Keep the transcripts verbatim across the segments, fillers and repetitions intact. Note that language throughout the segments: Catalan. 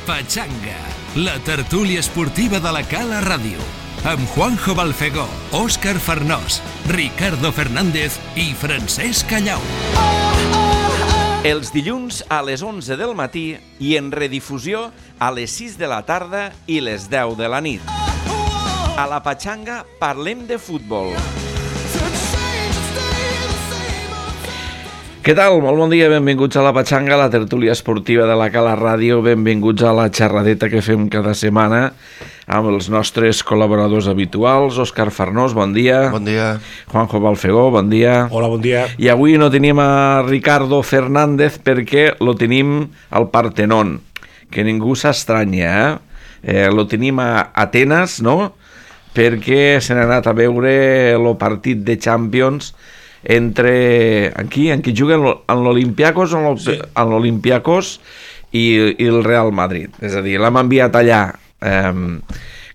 Pachanga, la tertúlia esportiva de la Cala Ràdio, amb Juanjo Balfegó, Òscar Farnós, Ricardo Fernández i Francesc Callau. Els dilluns a les onze del matí i en redifusió a les sis de la tarda i les deu de la nit. A la Pachanga parlem de futbol. Què tal? Molt bon dia, benvinguts a la Pachanga, la tertúlia esportiva de la Cala Ràdio. Benvinguts a la xerradeta que fem cada setmana amb els nostres col·laboradors habituals. Òscar Farnós, bon dia. Bon dia. Juanjo Balfegó, bon dia. Hola, bon dia. I avui no tenim a Ricardo Fernández perquè lo tenim al Partenón, que ningú s'estranya, eh? eh lo tenim a Atenes, no?, perquè se n'ha anat a veure el partit de Champions entre... Aquí, en qui juguen? En l'Olympiacos, en sí. l'Olympiacos i, i el Real Madrid. És a dir, l'hem enviat allà. Um,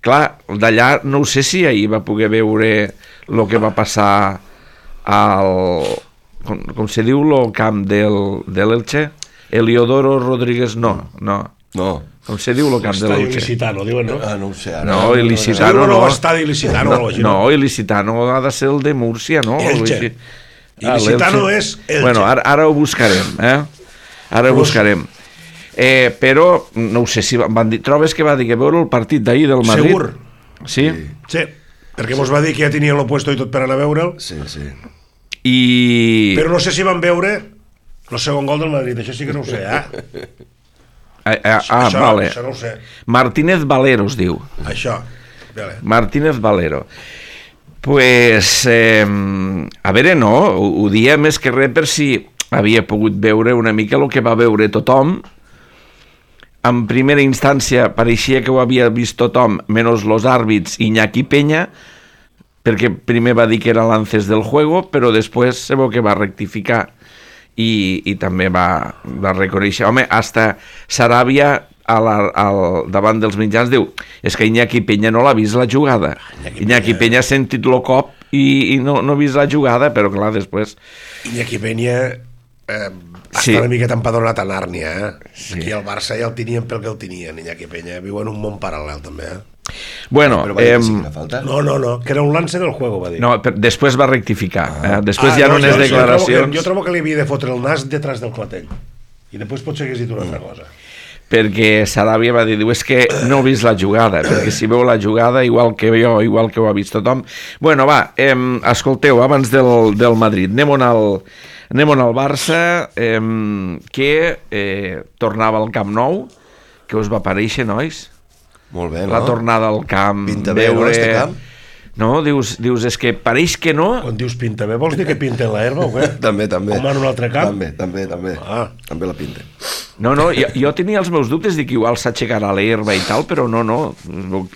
clar, d'allà no ho sé si ahir va poder veure el que va passar al... Com, com se diu el camp del, de l'Elche? Eliodoro Rodríguez, no, no. No. Com se diu el camp de l'Elche? Il·licitano, diuen, no? Ah, no ho sé, ara. No, il·licitano no. No, estadi il·licitano. No, no, il·licitano ha de ser el de Múrcia, no? Elche. Il·licitano és Elche. Bueno, ara, ara ho buscarem, eh? Ara ho buscarem. Eh, però, no ho sé si van dir... Trobes que va dir que veure el partit d'ahir del Madrid? Segur. Sí? Sí, perquè mos va dir que ja tenien el puesto i tot per anar a veure'l. Sí, sí. I... Però no sé si van veure el segon gol del Madrid, això sí que no ho sé, eh? Ah, ah, ah això, vale. Això no ho sé. Martínez Valero es diu. Això, vale. Martínez Valero. Pues, eh, a veure, no, ho, ho dia més que res per si havia pogut veure una mica el que va veure tothom. En primera instància pareixia que ho havia vist tothom, menys los àrbits Iñaki Peña, perquè primer va dir que era lances del juego, però després se veu que va rectificar i, i també va, va reconèixer. Home, hasta Saràbia a la, al, davant dels mitjans diu és que Iñaki Peña no l'ha vist la jugada. Iñaki, Iñaki Peña ha sentit el cop i, i no, no ha vist la jugada, però clar, després... Iñaki Peña eh, sí. està una miqueta empadronat a Nàrnia, eh? Sí. Aquí al Barça ja el tenien pel que el tenien, Iñaki Peña. Viu en un món paral·lel, també, eh? Bueno, però va dir eh, que sí que falta? No, no, no, que era un lance del juego, va dir. no, per, després va rectificar. Ah. Eh? Després ah, ja no, no n'és jo, declaracions... Jo trobo, que, jo trobo que li havia de fotre el nas detrás del clatell. I després potser hagués dit una altra cosa. Perquè Saràbia va dir, diu, és que no he vist la jugada, perquè si veu la jugada, igual que jo, igual que ho ha vist tothom... Bueno, va, eh, escolteu, abans del, del Madrid, anem-on al, anem-on al Barça, eh, que eh, tornava al Camp Nou, que us va aparèixer, nois? Molt bé, no? La tornada al camp, pinta bé, veure... no, este camp? No, dius, dius, és que pareix que no... Quan dius pinta bé, vols dir que pinta l'herba o què? També, també. Com en un altre camp? També, també, també. Ah. També la pinta. No, no, jo, jo tenia els meus dubtes de que igual s'aixecarà l'herba i tal, però no, no,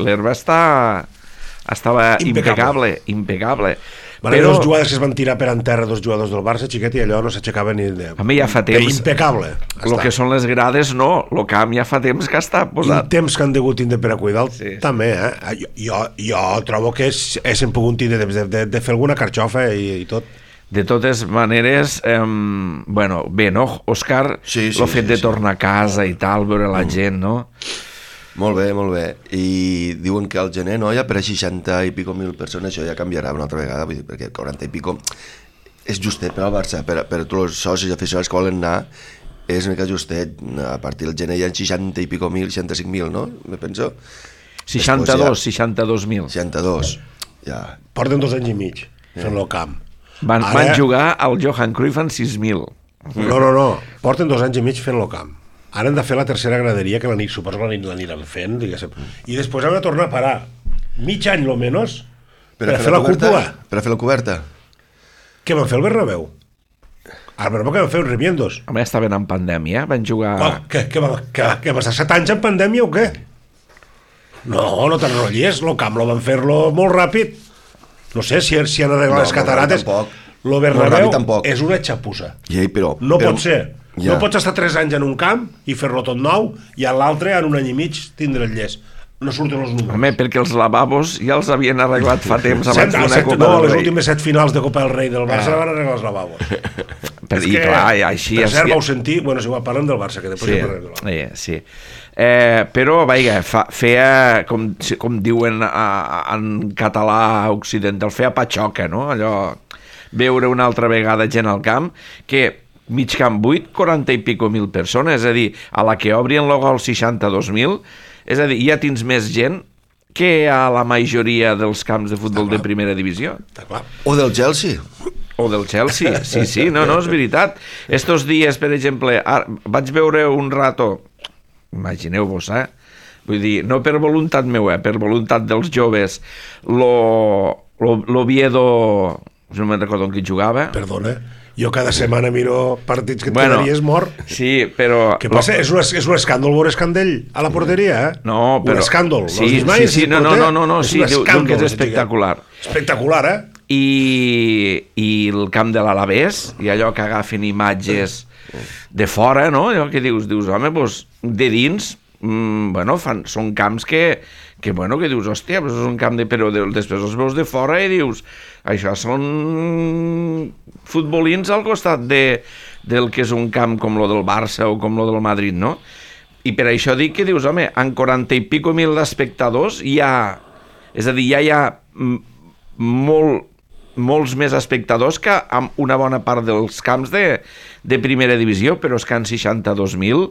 l'herba està... estava impecable, impecable. impecable. Van haver dos jugades que es van tirar per en terra, dos jugadors del Barça, xiquet, i allò no s'aixecava ni... De... A mi ja fa temps... Impecable. El que són les grades, no. El camp ja fa temps que està posat. I temps que han degut tindre per a cuidar sí. també, eh? Jo, jo, jo trobo que és, és hem pogut tindre temps de, de, de fer alguna carxofa i, i tot. De totes maneres, eh, bueno, bé, no, Òscar? Sí, sí, el fet sí, de sí. tornar a casa i tal, veure la gent, no? Molt bé, molt bé. I diuen que al gener, no, ja per a seixanta i pico mil persones, això ja canviarà una altra vegada, vull dir, perquè quaranta i pico és justet per al Barça, per, per a tots els socis i aficionats que volen anar, és una mica justet. A partir del gener hi ha seixanta i pico mil, seixanta-cinc mil, no? Me penso. seixanta-dos, seixanta-dos mil. seixanta-dos, ja. Porten dos anys i mig fent el camp. Van, Ara... van jugar al Johan Cruyff en sis mil. No, no, no, porten dos anys i mig fent el camp. Ara han de fer la tercera graderia, que la nit, suposo que l'aniran fent, diguéssim. I després han de tornar a parar mig any, lo menos, per, per a fer la, la cúpula. Per a fer la coberta. Què van fer el Bernabéu? Al Bernabéu que van fer uns remiendos. Home, estaven en pandèmia, van jugar... Oh, què, què, va, què, què va estar set anys en pandèmia o què? No, no t'enrotlles, el camp lo van fer-lo molt ràpid. No sé si, si han arreglat no, les catarates. No, el Bernabéu és una xapussa. Ja, però, no però, pot ser. Ja. No pots estar tres anys en un camp i fer-lo tot nou i a l'altre en un any i mig tindre el llest. No surten els números. Home, perquè els lavabos ja els havien arreglat fa temps abans set, d'una set, Copa no, del Rei. les últimes set finals de Copa del Rei del Barça ah. van arreglar els lavabos. Per, és i que, clar, i així... per cert, així... vau sentir... Bueno, si ho parlem del Barça, que després Sí, ja parlem del Barça. eh, sí. Eh, però, vaja, fa, feia, com, com diuen a, en català occidental, feia patxoca, no? Allò, veure una altra vegada gent al camp, que mig camp buit, quaranta i pico mil persones, és a dir, a la que obrien el gol seixanta-dos mil, és a dir, ja tens més gent que a la majoria dels camps de futbol de primera divisió. Està clar. O del Chelsea. O del Chelsea, sí, sí, no, no, és veritat. Estos dies, per exemple, ara, vaig veure un rato, imagineu-vos, eh? Vull dir, no per voluntat meva, eh? Per voluntat dels joves, l'Oviedo, no me'n recordo en qui jugava. Perdona, jo cada setmana miro partits que et Bueno, quedaries mort. Sí, però... Què passa? És un, és un escàndol veure Escandell a la porteria, eh? No, però... Un escàndol. Sí, sí, sí, no, no, no, no, no, sí, diu, diu que és espectacular. Espectacular, eh? I, i el camp de l'Alavés, i allò que agafen imatges de fora, no? Allò que dius, dius, home, doncs, de dins, mm, bueno, fan, són camps que, que, bueno, que dius, hòstia, doncs és un camp de... Però de, després els veus de fora i dius, això són futbolins al costat de, del que és un camp com lo del Barça o com lo del Madrid, no? I per això dic que dius, home, en quaranta i pico mil espectadors hi ha... És a dir, ja hi ha molt... molts més espectadors que amb una bona part dels camps de, de primera divisió, però és que en seixanta-dos mil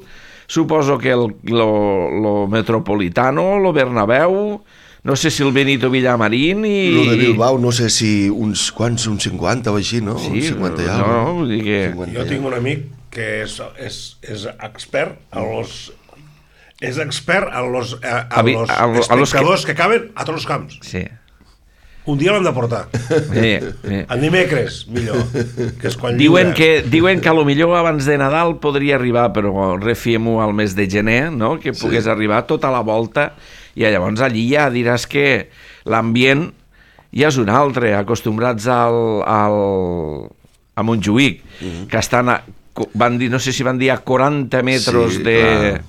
suposo que el lo, lo Metropolitano, lo Bernabéu, no sé si el Benito Villamarín i... Lo de Bilbao, no sé si uns quants, uns cinquanta o així, no? Sí, uns cinquanta ja. no, vull dir que... Jo tinc un amic que és, és, és expert a los... És expert a los, a, a A vi- los a lo- a los espectadors que... que caben a tots els camps. Sí. Un dia l'hem de portar. Sí, sí. En dimecres, millor. Que és quan Diuen lliure. que, diuen que a lo millor abans de Nadal podria arribar, però refiem-ho al mes de gener, no? Que pogués sí. arribar tota la volta, i llavors allí ja diràs que l'ambient ja és un altre, acostumbrats al, al, a Montjuïc, mm-hmm. que estan a, van dir, no sé si van dir a quaranta metres Sí, de... clar.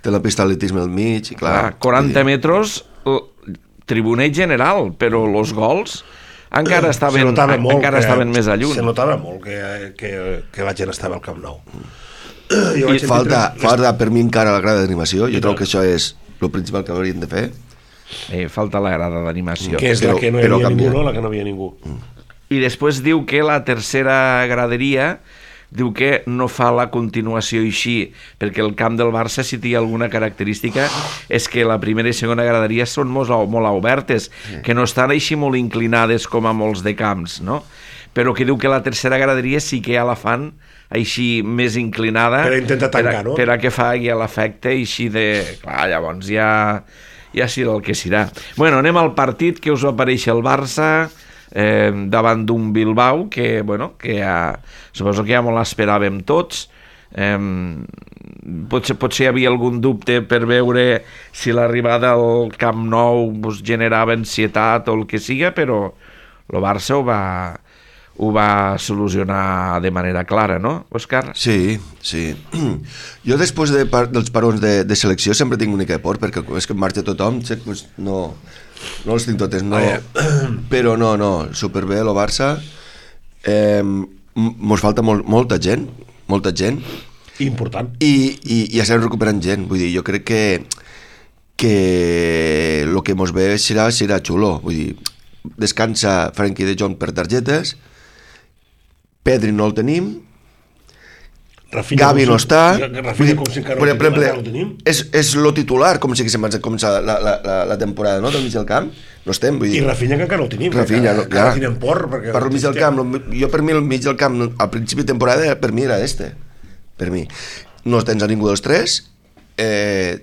Té la pista d'atletisme al mig, i clar. Clar, quaranta metres tribunet general, però els gols encara estaven, notava molt encara que, estaven més a lluny. Se notava molt que, que, que la gent estava al Camp Nou. I vaig falta, sentir- falta per mi encara la grada d'animació. Jo I trobo tant. que això és el principal que haurien de fer. Eh, falta la grada d'animació. Que és Però- la que no hi però havia canvia. ningú, no? La que no havia ningú. I després diu que la tercera graderia diu que no fa la continuació així, perquè el camp del Barça, si té alguna característica, és que la primera i segona graderia són molt, molt obertes, sí. que no estan així molt inclinades com a molts de camps, no? Però que diu que la tercera graderia sí que ja la fan així més inclinada Per a intentar tancar, per a, no? per a que faci l'efecte així de... Clar, llavors ja, ja serà el que serà. Bueno, anem al partit. Què us va aparèixer el Barça eh, davant d'un Bilbao que, bueno, que ja, suposo que ja molt l'esperàvem tots. Eh, potser, potser hi havia algun dubte per veure si l'arribada al Camp Nou pues, generava ansietat o el que siga, però el Barça ho va, ho va solucionar de manera clara, no, Òscar? Sí, sí. Jo després de par dels parons de, de selecció sempre tinc una mica de por, perquè és que marxa tothom, sé, pues, no, no els tinc totes, no. Però no, no, superbé el Barça. Eh, mos falta molt, molta gent, molta gent. Important. I, i, i ja estem recuperant gent, vull dir, jo crec que que el que mos ve serà, serà xulo, vull dir, descansa Frenkie de Jong per targetes, Pedri no el tenim, Rafinha Gavi no com si- està, Rafinha vull dir, com si encara per no el tenim, exemple, encara no el tenim. és, és lo titular, com si haguéssim començat la, la, la, la temporada, no?, del mig del camp, no estem, vull I dir... Rafinha que encara no el tenim. Rafinha, no, encara ja. tenen por. Perquè Per al mig del camp, no, jo per mi el mig del camp, al principi de temporada, per mi era este, per mi. No tens a ningú dels tres, eh,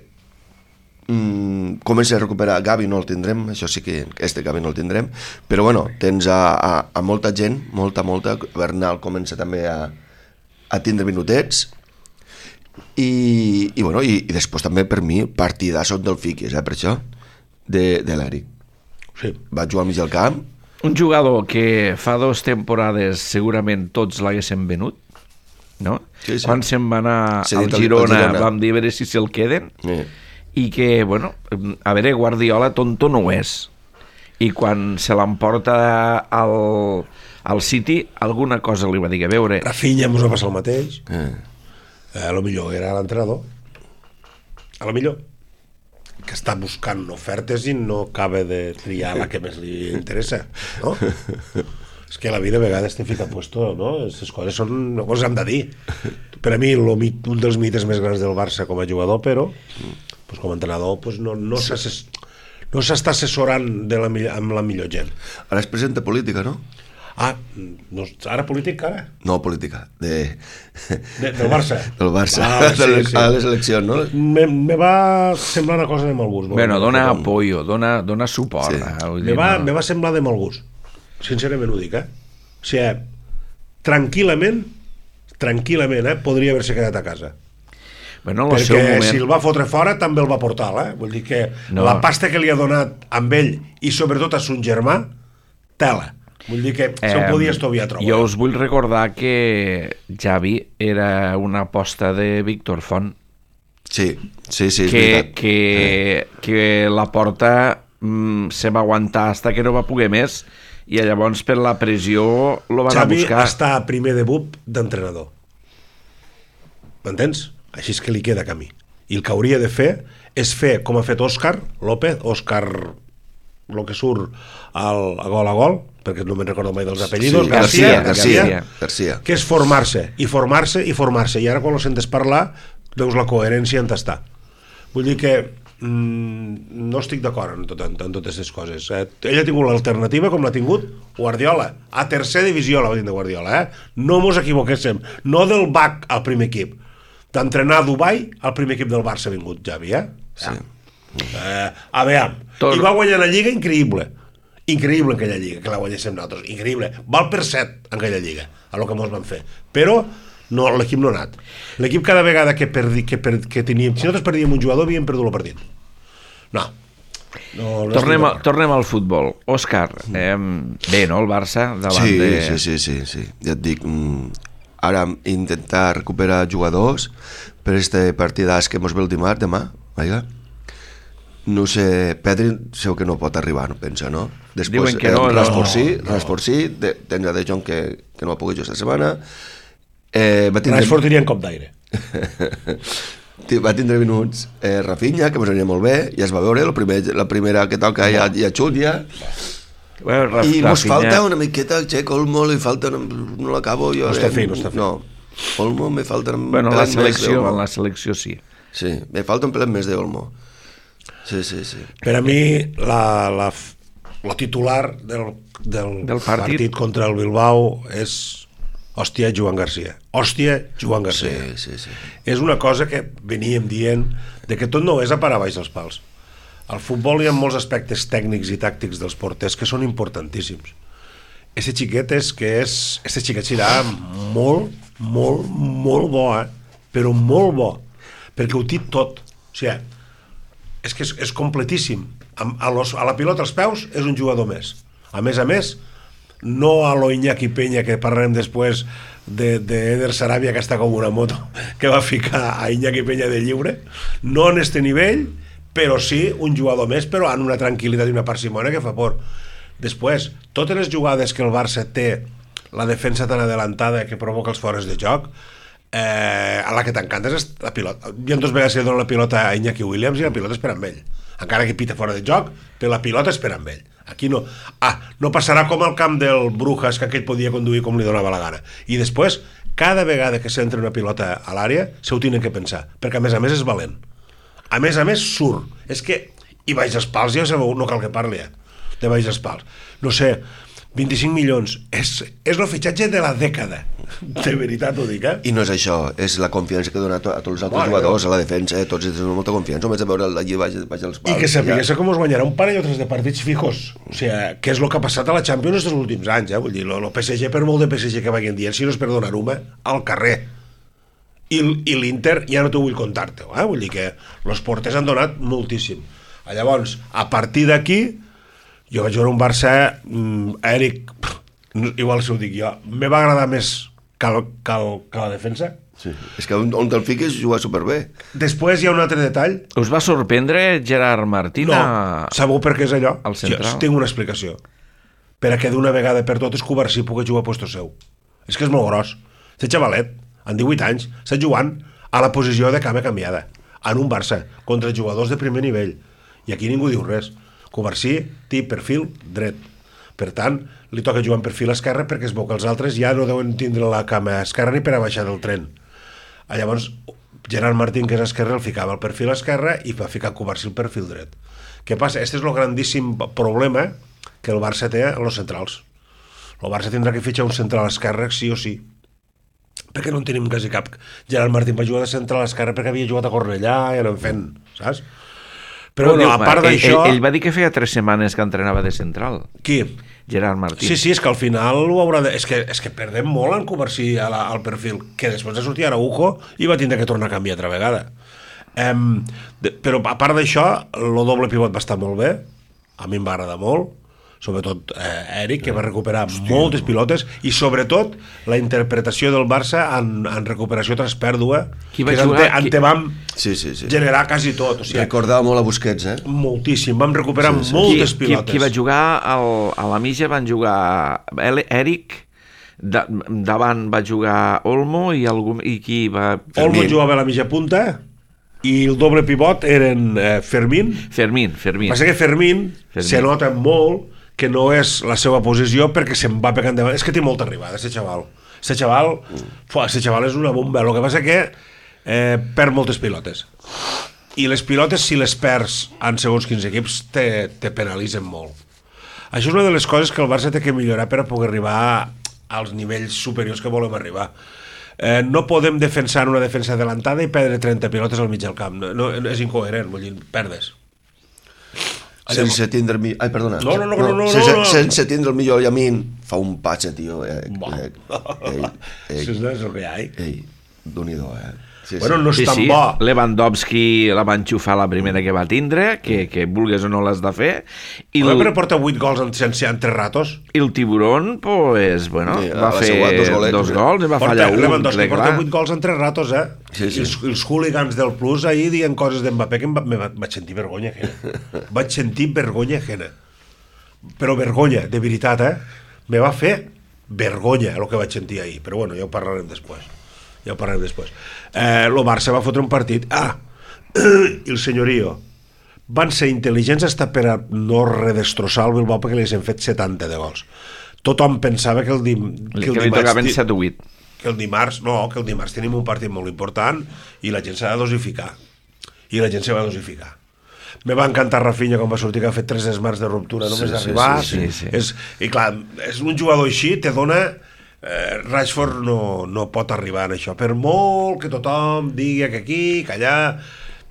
mm, comença a recuperar, Gavi no el tindrem, això sí que, este Gavi no el tindrem, però bueno, tens a, a, a molta gent, molta, molta, Bernal comença també a, a tindre minutets, i, i bueno, i, i després també per mi, partidasso del Fiquis, eh, per això, de, de l'Eric. Sí. Va jugar al mig del camp, Un jugador que fa dues temporades segurament tots l'haguessin venut, no? Sí, sí. Quan se'n va anar Sí, al dit al- Girona, al Girona. vam dir a veure si se'l queden, eh. i que, bueno, a veure, Guardiola tonto no ho és. I quan se l'emporta al, Al City alguna cosa li va dir a veure. Rafinha mos va passar el mateix. Eh. Eh, a lo millor era l'entrenador. A lo millor. Que està buscant ofertes i no acaba de triar la que més li interessa, no? És que la vida a vegades te fica puesto, no? Aquestes coses són... no coses hem de dir. Per a mi, lo, un dels mites més grans del Barça com a jugador, però pues, com a entrenador pues, no, no s'assess... no s'està assessorant de la, amb la millor gent. Ara es presenta política, no? Ah, no, ara polític, ara? No, política, de... de del Barça. Del Barça, ah, sí, sí, sí. A les eleccions, no? Me, me va semblar una cosa de mal gust. Bueno, dona apoyo, dona, dona suport. Sí. Eh? Vull Me dir, va, no... me va semblar de mal gust. Sincerament ho dic, eh? O sigui, tranquil·lament, tranquil·lament, eh? Podria haver-se quedat a casa. Bueno, en el Perquè seu moment... si el va fotre fora també el va portar, eh? Vull dir que No. la pasta que li ha donat amb ell i sobretot a son germà, tela. Vull dir que se'l podia estoviar trobar. Jo us vull recordar que Xavi era una aposta de Víctor Font. Sí, sí, sí, és que, veritat. que, eh. que la porta mm, se va aguantar hasta que no va poder més i llavors per la pressió lo van Xavi a buscar. està a primer debut d'entrenador. M'entens? Així és que li queda camí. I el que hauria de fer és fer com ha fet Òscar López, Òscar el que surt al, a gol a gol, perquè no me'n recordo mai dels apellidos, Sí, García, García, García, García, García. que és formar-se, i formar-se, i formar-se, i ara quan ho sentes parlar, veus la coherència en està. Vull dir que mm, no estic d'acord en, tot, en, en totes aquestes coses. Eh? Ell ha tingut l'alternativa com l'ha tingut Guardiola, a tercera divisió la va tindre Guardiola, eh? No mos equivoquéssim, no del B A C al primer equip, d'entrenar a Dubai al primer equip del Barça ha vingut Xavi, eh? Sí. Eh, a veure, Tot... i va guanyar la Lliga increïble, increïble en aquella Lliga, que la guanyéssim nosaltres, increïble, val per set en aquella Lliga, a lo que mos van fer, però no, l'equip no ha anat. L'equip cada vegada que, perdi, que, per, que teníem, si nosaltres perdíem un jugador havíem perdut el partit. No, no, no Tornem, a, tornem al futbol. Òscar, eh, bé, no, el Barça davant Sí, de... sí, sí, sí, sí. Ja et dic, mm, ara intentar recuperar jugadors per este partidàs que mos ve el dimarts, demà, vaja. No sé, Pedri segur que no pot arribar, no pensa, no? Després, Diuen que no, eh, no. Rasposí, No. Rasposí, de, tens a De Jong que, que no ha pogut jugar esta setmana. Eh, va tindre... Rashford diria en cop d'aire. va tindre minuts eh, Rafinha, que mos aniria molt bé, ja es va veure, el primer, la primera que toca ja, ja xut, ja. Bueno, Raf, I mos Rafinha- falta una miqueta, che, Olmo, li falta, una, no l'acabo jo. No està eh, fi, no està fi. No, Olmo me falta un Bueno, la pelet més selecció, d'Olmo. en la selecció sí. Sí, me falta un pelet més d'Olmo. Sí, sí, sí. Per a mi, la, la, la titular del, del, Del partit. partit contra el Bilbao és hòstia, Joan García. Hòstia, Joan Sí, García. sí, sí. És una cosa que veníem dient de que tot no és a parar baix dels pals. Al futbol hi ha molts aspectes tècnics i tàctics dels porters que són importantíssims. Este xiquet és que és... Este xiquet serà molt, molt, molt bo, eh? Però molt bo. Perquè ho té tot. O sigui, és que és, és completíssim. A, a, los, a la pilota als peus és un jugador més. A més a més, no a lo Iñaki Peña, que parlarem després de, de Eder Sarabia, que està com una moto, que va ficar a Iñaki Peña de lliure, no en este nivell, però sí un jugador més, però amb una tranquil·litat i una parsimònia que fa por. Després, totes les jugades que el Barça té, la defensa tan adelantada que provoca els fores de joc, eh, a la que t'encanta és la pilota. Hi ha dues vegades que dona la pilota a Iñaki Williams i la pilota és per amb ell. Encara que pita fora de joc, però la pilota és per amb ell. Aquí no. Ah, no passarà com al camp del Brujas, que aquell podia conduir com li donava la gana. I després, cada vegada que s'entra una pilota a l'àrea, se ho tenen que pensar, perquè a més a més és valent. A més a més surt. És que, i baix els pals, ja sabeu, no cal que parli, eh, de baix els pals. No sé, vint-i-cinc milions, és, és el fitxatge de la dècada. De veritat ho dic, eh? I no és això, és la confiança que dona a, to, a tots els altres Bueno, jugadors, a la defensa, eh? Tots tenen molta confiança, només de veure allí baix, baix els pals. I que sapigués com us guanyarà un parell o tres de partits fijos. O sigui, què és el que ha passat a la Champions els últims anys, eh? Vull dir, el P S G, per molt de P S G que vagin dient, si no és per donar una, al carrer. I, i l'Inter ja no t'ho vull contar-te, eh? Vull dir que els porters han donat moltíssim. Llavors, a partir d'aquí, jo vaig veure un Barça, mm, Eric, igual si ho dic jo, me va agradar més que, el, que, el, que la defensa. Sí. És que on, on te'l fiques juga superbé. Després hi ha un altre detall. Us va sorprendre Gerard Martín? No, a... sabeu per què és allò? Al central? Jo tinc una explicació. per a que d'una vegada per totes Covarsí pugui jugar a puesto seu. És que és molt gros. Aquest xavalet, en divuit anys, està jugant a la posició de cama canviada, en un Barça, contra jugadors de primer nivell. I aquí ningú diu res. Covarsí té perfil dret. Per tant, li toca jugar en perfil esquerre perquè es veu que els altres ja no deuen tindre la cama esquerra ni per a baixar del tren. Llavors, Gerard Martín, que és esquerre, el ficava al perfil esquerre i va ficar Covarsí al perfil dret. Què passa? Este és el grandíssim problema que el Barça té en els centrals. El Barça tindrà que fitxar un central esquerre sí o sí, perquè no en tenim quasi cap. Gerard Martín va jugar de central esquerre perquè havia jugat a Cornellà i anant fent, saps? Però bueno, a part d'això... Ell, ell va dir que feia tres setmanes que entrenava de central. Qui? Gerard Martín. Sí, sí, és que al final ho haurà de... És que, és que perdem molt en Covarsí a la, al perfil, que després de sortir Araujo i va tindre que tornar a canviar altra vegada. Um, de, però a part d'això, el doble pivot va estar molt bé, a mi em va agradar molt, sobretot eh, Eric, que va recuperar Hòstia, moltes pilotes, i sobretot la interpretació del Barça en, en recuperació tras pèrdua, que és ante, ante vam sí, sí, sí. generar quasi tot. O sigui, recordava molt a Busquets, eh? Moltíssim, vam recuperar sí, sí. moltes qui, pilotes. Qui, qui va jugar al, a la mitja van jugar Eric, da, davant va jugar Olmo i, algú, i qui va... Olmo jugava a la mitja punta i el doble pivot eren eh, Fermín. Fermín, Fermín. Passa que Fermín, Fermín se nota molt que no és la seva posició perquè se'n va pegant davant. És que té molta arribada, aquest xaval. Aquest xaval, fuà, aquest xaval és una bomba. El que passa que eh, perd moltes pilotes. I les pilotes, si les perds en segons quins equips, te, te penalitzen molt. Això és una de les coses que el Barça té que millorar per a poder arribar als nivells superiors que volem arribar. Eh, no podem defensar una defensa adelantada i perdre trenta pilotes al mig del camp. No, no, és incoherent, vull dir, perdes. Sense tindre el millor... Ai, perdona. No, no, no, no, no, sense, no, no. sense tindre el millor Yamin, fa un patxe, tio. Eh, eh, eh, Això és el que hi ha. Ei, d'un-i-do, eh? Sí, bueno, sí. no és sí, tan sí. bo. Lewandowski la va enxufar la primera que va tindre, que, que vulgues o no l'has de fer. I el... el... Però porta vuit gols en, en, en tres ratos. I el Tiburón, pues, bueno, sí, va fer dos, golets, dos gols i va porta, fallar un. Lewandowski porta vuit gols en tres ratos, eh? Sí, sí. I els, els hooligans del Plus ahir dient coses d'Mbappé que em va, me va, vaig sentir vergonya ajena. Vaig sentir vergonya ajena. Però vergonya, de veritat, eh? Me va fer vergonya el que vaig sentir ahir. Però bueno, ja ho parlarem després. Ja ho parlarem després. Eh, el Barça va fotre un partit. Ah, i el senyorio van ser intel·ligents hasta per a no redestrossar el Bilbao perquè li hem fet setanta de gols. Tothom pensava que el, dim, que el que dimarts... tocaven set o vuit. Que el dimarts, no, que el dimarts tenim un partit molt important i la gent s'ha de dosificar. I la gent se va dosificar. Me va encantar Rafinha quan va sortir, que ha fet tres esmarts de ruptura només sí, d'arribar. Sí, sí, sí. És, I clar, és un jugador així, te dona... Eh, Rashford no, no pot arribar en això, per molt que tothom digui que aquí, que allà,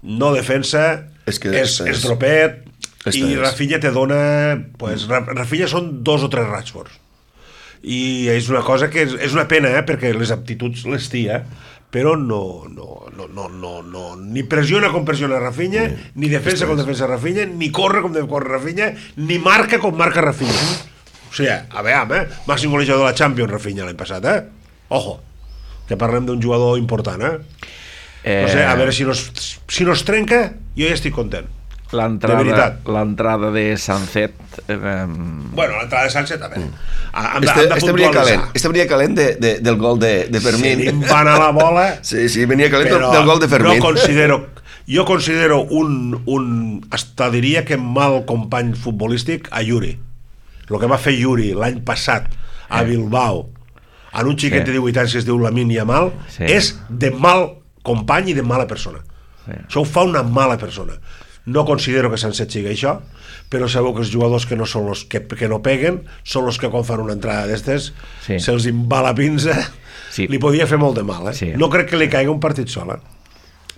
no defensa, és, que és, és, és dropet, i és. Rafinha te dona, pues, Rafinha són dos o tres Rashfords, i és una cosa que és, és una pena, eh, perquè les aptituds les té, eh, però no, no, no, no, no, no, ni pressiona com pressiona Rafinha, mm. ni defensa com defensa Rafinha, ni corre com corre Rafinha, ni marca com marca Rafinha. O sigui, a veure, eh? Màxim golejador de la Champions, Rafinha, l'any passat, eh? Ojo, que parlem d'un jugador important, eh? eh? No sé, a veure si no es, si no es trenca, jo ja estic content. L'entrada de Sancet... Eh, bueno, l'entrada de Sancet, a veure... Mm. Este, este venia calent, este venia calent de, de, del gol de, de Fermín. Sí, van a la bola... Sí, sí, venia calent del, del gol de Fermín. No considero... Jo considero un, un... Hasta diria que mal company futbolístic a Yuri. El que va fer Yuri l'any passat a Bilbao en un xiquet sí. de divuit anys que es diu Lamine Yamal sí. és de mal company i de mala persona. Sí. Això ho fa una mala persona. No considero que Sancet sigui això, però sabeu que els jugadors que no són los que, que no peguen són els que quan fan una entrada d'estes sí. se'ls va la pinza sí. li podia fer molt de mal, eh? Sí. No crec que li caigui un partit sol, eh?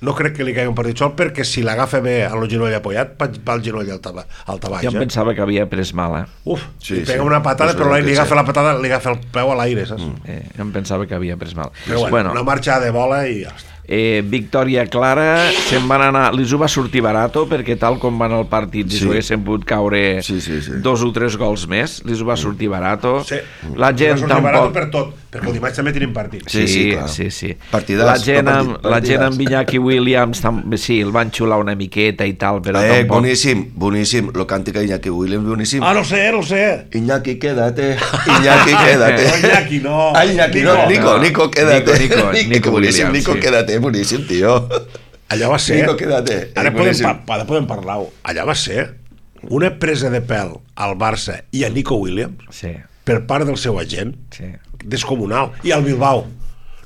No crec que li caigui un partit sol perquè si l'agafa bé a el genoll apoyat, va el genoll al tabaix. Jo em pensava que havia pres mal, eh? Uf, sí, li pega sí. una patada, però li agafa la patada, li agafa el peu a l'aire, saps? Mm. Eh, jo em pensava que havia pres mal. Però bueno, bueno una marxa de bola i ja està. Eh, victòria clara, se'n van anar, li va sortir barato perquè tal com van al partit sí. li haguessin pogut caure sí, sí, sí. dos o tres gols més, li va sortir barato. Sí. La gent li va sortir tampoc... barato per tot. perquè el dimarts també tenim partit. Sí, Sí, sí, clar. sí, sí. Partidàs, La gent no, amb, partit- la gent amb partidàs. Iñaki Williams tam- sí, el van xular una miqueta i tal, però Eh, tampoc... boníssim, boníssim. Lo càntica Iñaki Williams, boníssim. Ah, no sé, no sé. Iñaki, quédate. Iñaki, quédate. No, Iñaki, no. Ah, Iñaki, no. Nico, Nico, quédate. Nico, Nico, Nico boníssim, Williams, Nico, sí. quédate, boníssim, tio. Allà va ser... Nico, quédate. Ara Eh, podem, boníssim. pa, ara podem parlar-ho. Allà va ser una presa de pèl al Barça i a Nico Williams Sí, per part del seu agent sí. descomunal. I al Bilbao.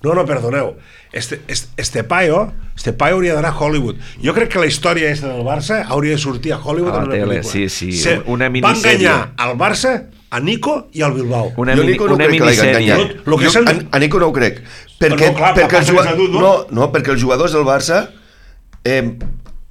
No, no, perdoneu. Este, este, este paio, este paio hauria d'anar a Hollywood. Jo crec que la història aquesta del Barça hauria de sortir a Hollywood A la en una tele, pel·lícula. sí, sí, Se, una Va minissèrie. enganyar al Barça, a Nico i al Bilbao. Una, Jo mini, Nico no una crec que l'hagi minissèrie. enganyat. Lo- lo que Jo és el- a, a Nico no ho crec. Perquè, no, clar, perquè, els passa juga... que és adult, no? no? no, perquè els jugadors del Barça... Eh,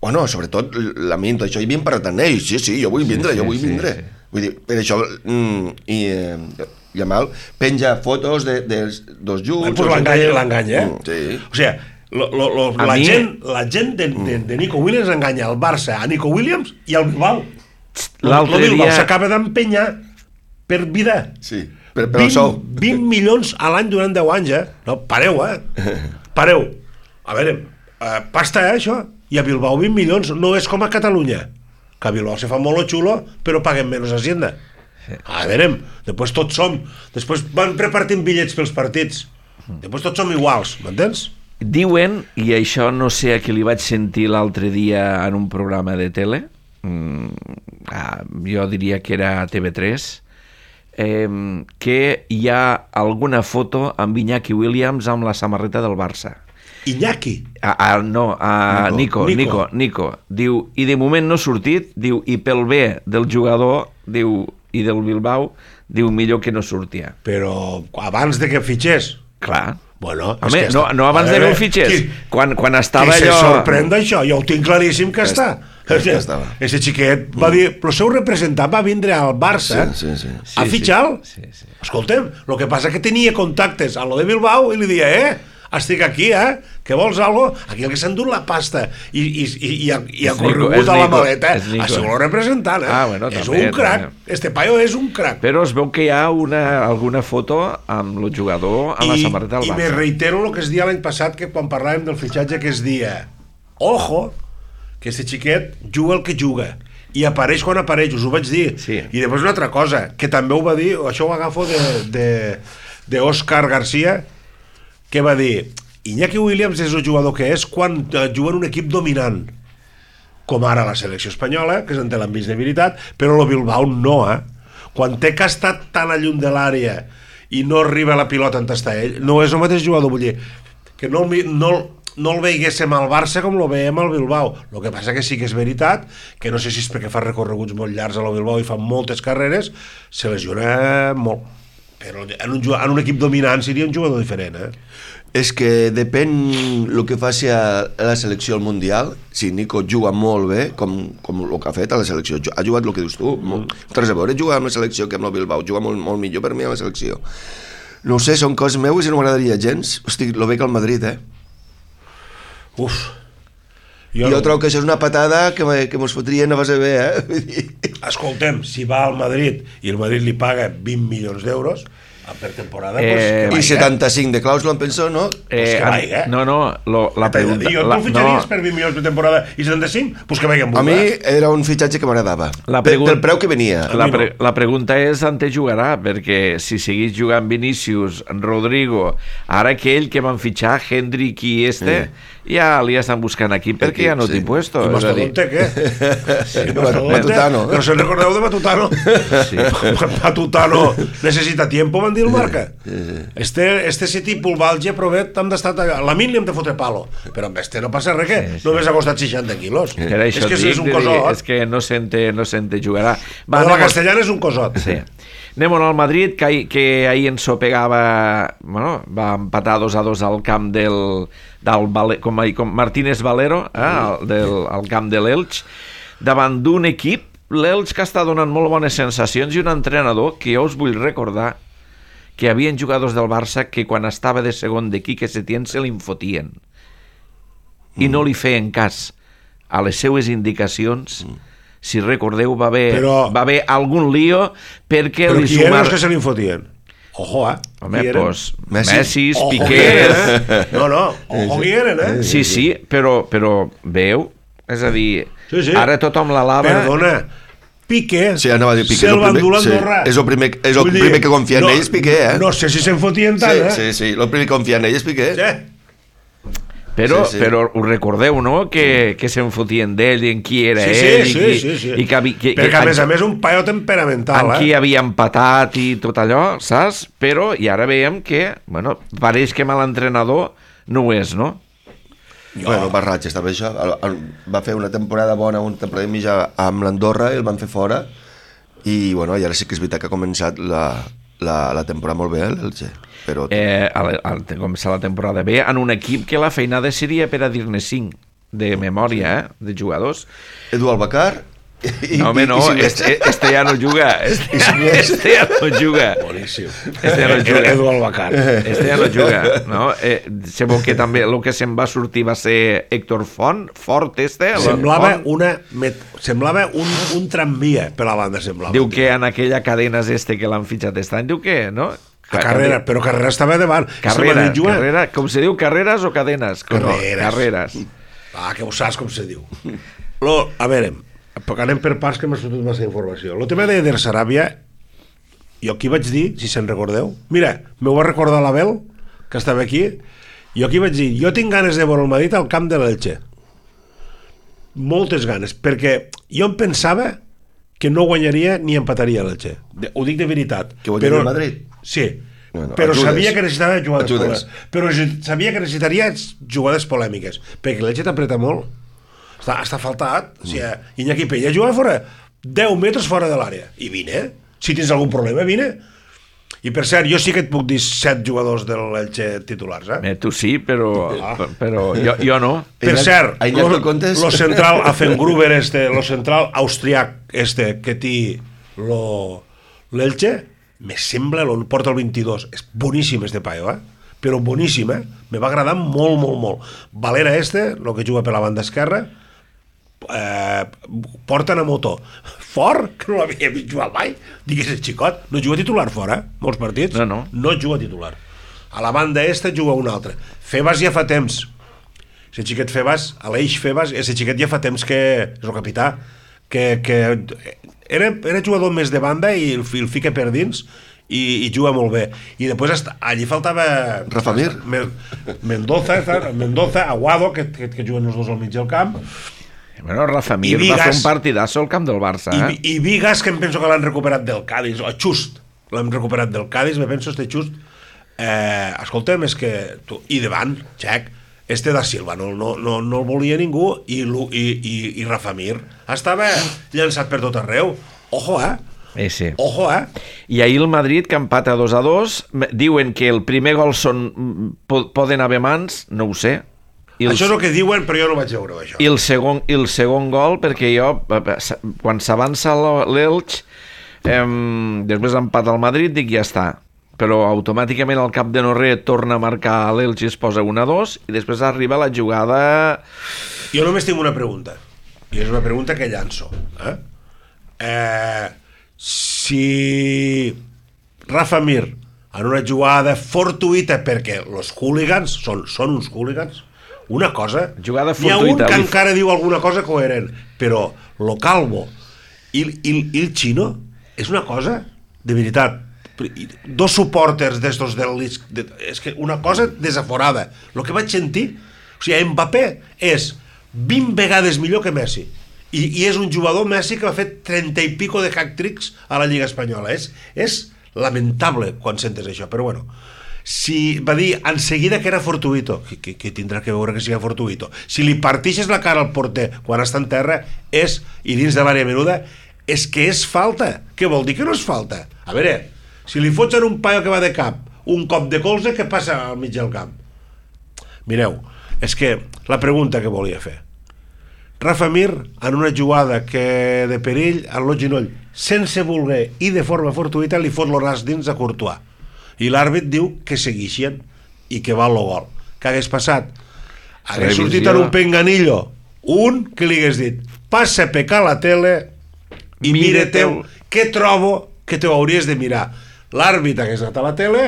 bueno, sobretot la mi, tot això, hi havien parlat amb ells. Sí, sí, jo vull vindre, sí, jo vull sí, vindre. sí. Vull dir, per això... Mm, i, eh, Yamal penja fotos de, dels dos junts... Pues l'enganya, l'enganya, eh? Mm, sí. O sigui, lo, lo, lo, A la, mi- gent, la gent de, de, de Nico Williams enganya al Barça, a Nico Williams i al Bilbao. L'altre el Bilbao dia- s'acaba d'empenyar per vida. Sí, per, per el sou. vint milions a l'any durant deu anys, eh? No, pareu, eh? Pareu. A veure, eh, pasta, eh, això? I a Bilbao vint milions no és com a Catalunya, que a Bilbao se fa molt lo xulo, però paguen menys Hacienda. A veure, després tots som... Després van repartint bitllets pels partits. Després tots som iguals, m'entens? Diuen, i això no sé a qui li vaig sentir l'altre dia en un programa de tele, mm, ah, jo diria que era a T V tres, eh, que hi ha alguna foto amb Iñaki Williams amb la samarreta del Barça. Iñaki. A, a, no, a Nico, Nico. Nico, Nico, Nico. Diu, i de moment no ha sortit, diu, i pel bé del jugador, diu, i del Bilbao, diu, millor que no sortia. Però abans de que fitxés. Clar. Bueno, Home, és que no, està- no abans a de que veure, el fitxés, qui- quan, quan estava Qui se allò... sorprèn d'això? Jo ho tinc claríssim que, Que està. està, que estava. Ese xiquet va dir... El seu representant va vindre al Barça Sí, sí, sí. a Sí, fitxar-lo. sí, sí, sí. Escoltem, el que passa que tenia contactes a lo de Bilbao i li dia, eh, estic aquí, eh, que vols algo? Aquí el que s'ha endut la pasta i, i, i, i, ha, i ha És Nico, corregut és a la Nico, maleta és Nico. a ser el representant, eh? Ah, bueno, és també, un crac. també. Este paio és un crac. Però es veu que hi ha una, alguna foto amb el jugador a la samarreta del I me Barça. reitero el que es dia l'any passat, que quan parlàvem del fitxatge, que es dia ojo, que este xiquet juga el que juga i apareix quan apareix, us ho vaig dir. Sí. I després una altra cosa, que també ho va dir, això ho agafo de, de, de Òscar García, que va dir Iñaki Williams és el jugador que és quan eh, juga en un equip dominant, com ara la selecció espanyola, que és en té l'envís de veritat, però el Bilbao no, eh? Quan té que estar tan a lluny de l'àrea i no arriba la pilota on està ell, no és el mateix jugador, vull dir, que no, el mi- no, no el veiguéssim al Barça com el veiem al Bilbao. El que passa que sí que és veritat, que no sé si és perquè fa recorreguts molt llargs a la Bilbao i fa moltes carreres, se lesiona molt. Però en un, ju- en un equip dominant seria un jugador diferent, eh? És que depèn el que faci a la selecció al Mundial. Si Nico juga molt bé, com, com el que ha fet a la selecció, ha jugat el que dius tu, molt, res a veure jugar amb la selecció que amb el Bilbao, juga molt, molt millor per mi a la selecció. No ho sé, són coses meues i no m'agradaria gens. Hosti, lo veig al Madrid, eh? Uf. Jo, jo trobo que això és una patada que, me- que mos fotrien a base bé, eh? Vull dir, Escoltem, si va al Madrid i el Madrid li paga vint milions d'euros per temporada, Eh, pues, que I vaiga. setanta-cinc de clàusula, em penso, no? Eh, que an- vaiga. no, no, lo, la pregunta... I tu La, el fitxaries no, per vint milions per temporada i setanta-cinc? Pues que vagin A mi era un fitxatge que m'agradava. La Pe- pregun- Pel preu que venia. la, mi no. pre la pregunta és on te jugarà, perquè si seguís jugant Vinícius, Rodrigo, ara aquell que van fitxar, Hendrik i este, ja li estan buscant aquí perquè ja no sí. t'he puesto. I és a dir, Mastodonte, què? Sí, I Mastodonte? Matutano. No se'n recordeu de Matutano? Sí. Matutano necessita tiempo, van dir el Marca. Este, este si tipus Valge, Provet, hem d'estar... La min li hem de fotre palo. Però amb este no passa res, que Sí, sí. només ha costat seixanta quilos. Per això és que et dic, és un dic, cosot. és que no sente, no sente jugarà. Va, la anem- castellana és un cosot. Sí. Anem al Madrid, que, ahir- que ahir ensopegava, bueno, va empatar dos a dos al camp del, del Vale, com, ahir- com Martínez Valero, eh, al, del, al camp de l'Elx, davant d'un equip, l'Elx que està donant molt bones sensacions, i un entrenador que jo us vull recordar que hi havia jugadors del Barça que quan estava de segon de Quique Setién se l'infotien i no li feien cas a les seues indicacions. Si recordeu, va haver, Però- va haver algun lío perquè Però li qui eren sumar... els que se li fotien? Ojo, eh? Home, doncs, Messi. Messi, Ojo Piqué... que eren, eh? No, no, ojo que eren, eh? Sí, sí, però, però veu? És a dir, Sí, sí. ara tothom la lava... Perdona, Piqué, Sí, anava a dir Piqué, se'l és el va primer- endur sí, l'Andorra. és el primer- és el Vull dir, primer que confia en ells, Piqué, eh? No sé si se'n fotien tant, Sí, eh? sí, sí, el primer que confia en ell és Piqué. Sí. Però, Sí, sí. però us recordeu, no?, que, que se'n fotien d'ell i en qui era Sí, sí, ell sí, i, qui, sí, sí. i que, havi- que, Perquè, que, a més a en, més, un paio temperamental, en qui eh? havia empatat i tot allò, saps? Però, i ara veiem que, bueno, pareix que mal entrenador no ho és, no? Jo. Bueno, barratges, també això. El, el, va fer una temporada bona, una temporada i mitja amb l'Andorra i el van fer fora. I, bueno, i ara sí que és veritat que ha començat la, la, la temporada molt bé, l'Elche. Però... Eh, al, al començar la temporada bé, en un equip que la feinada seria per a dir-ne cinc de memòria, eh, de jugadors. Edu Albacar... I, No, home, no, i, i este, este ja no juga. Este, este ja no juga. Boníssim. Este ja no juga. Edu Albacar. Este ja no juga, no? Eh, sabeu que també el que se'n va sortir va ser Héctor Font, Fort este. Semblava, Font. una, met, semblava un, un tramvia per la banda, semblava. Diu que en aquella cadenes este que l'han fitxat aquest any, diu que, no? A Carrera, però Carrera estava davant. Carrera, Se juga... carrera, com se diu, carreres o cadenes? Com no? Carreres. Carreres. Ah, que ho saps com se diu. Lo, a veure, perquè anem per parts que m'ha sortit massa informació. El tema d'Eder Saràbia, jo aquí vaig dir, si se'n recordeu, mira, m'ho va recordar l'Abel, que estava aquí, jo aquí vaig dir, jo tinc ganes de veure el Madrid al camp de l'Elche. Moltes ganes, perquè jo em pensava que no guanyaria ni empataria l'Elche. De- Ho dic de veritat. Que guanyaria el Madrid? Sí, Bueno, però ajudes. sabia que necessitava jugades Ajudes. polèmiques. Però ge- sabia que necessitaria jugades polèmiques, perquè l'Elche t'apreta molt. Està, està faltat. O sigui, Iñaki Peña juga fora deu metres fora de l'àrea. I vine. Si tens algun problema, vine. I per cert, jo sí que et puc dir set jugadors de l'Elche titulars, eh? Eh, tu sí, però, però jo, jo no. Per Iñaki- cert, a Iñaki lo, el comptes? lo central Affengruber este, lo central austriac este que té lo l'Elche, me sembla, lo porta el vint-i-dos, és boníssim este paio, eh? Però boníssim, eh? Me va agradar molt, molt, molt. Valera este, lo que juga per la banda esquerra, eh, porten a motor fort, que no l'havia vist jugar mai, digues el xicot, no juga titular fora, eh? Molts partits, No, no. no juga titular. A la banda esta juga un altre. Febas ja fa temps, ese xiquet Febas, Aleix Febas, ese xiquet ja fa temps que és el capità, que, que era, era jugador més de banda i el, el fica per dins i, i juga molt bé. I després hasta, allí faltava Rafa Mir. Me- Mendoza, Mendoza, Aguado, que, que, que juguen els dos al mig del camp, Bueno, Rafa Mir I va fer Vigas. un partidasso al camp del Barça, i, eh? i Vigas, que em penso que l'han recuperat del Cádiz, o Just, l'han recuperat del Cádiz, me penso este Just, eh, escolta'm, és que tu, i davant, Xec, este da Silva no, no, no, no el volia ningú i, Lu- i, i, i Rafa Mir estava llançat per tot arreu. Ojo, eh? Eh, sí. Ojo, eh? I ahir el Madrid, que empata dos a dos, m- diuen que el primer gol són, po- poden haver mans, no ho sé. I el, Això és el que diuen, però jo no vaig veure això. i el, segon, i el segon gol, perquè jo, eh, s- quan s'avança l- l'Elx, eh, després empata el Madrid, dic ja està. Però automàticament al cap de no res torna a marcar l'Elx i es posa un a dos, i després arriba la jugada... Jo només tinc una pregunta, i és una pregunta que llanço. Eh? Eh, si Rafa Mir, en una jugada fortuïta, perquè els hooligans són, són uns hooligans, una cosa... Jugada N'hi ha un fortuïta, que li- encara diu alguna cosa coherent, però lo Calvo i, i, i el Chino és una cosa, de veritat, dos suporters d'estos del Lis- de, és que una cosa desaforada. El que vaig sentir, o sigui, Mbappé és vint vegades millor que Messi i, i és un jugador Messi que va fer trenta i pico de hat-tricks a la Lliga Espanyola. És, és lamentable quan sentes això, però bueno, si va dir en seguida que era fortuito, que, que, que tindrà que veure que sigui fortuito, si li partixes la cara al porter quan està en terra és, i dins de l'àrea menuda, és que és falta. Què vol dir que no és falta? A veure, si li fots en un paio que va de cap un cop de colze, què passa al mig del camp? Mireu, és que la pregunta que volia fer, Rafa Mir, en una jugada que de perill, al lo ginoll, sense voler i de forma fortuïta, li fot el nas dins a Courtois. I l'àrbit diu que seguixen i que va el gol. Què hagués passat? Hagués Revisió. sortit en un penganillo, un que li hagués dit passa a pecar la tele i Mira mira-teu, teu. què trobo que te ho hauries de mirar. L'àrbit hagués anat a la tele,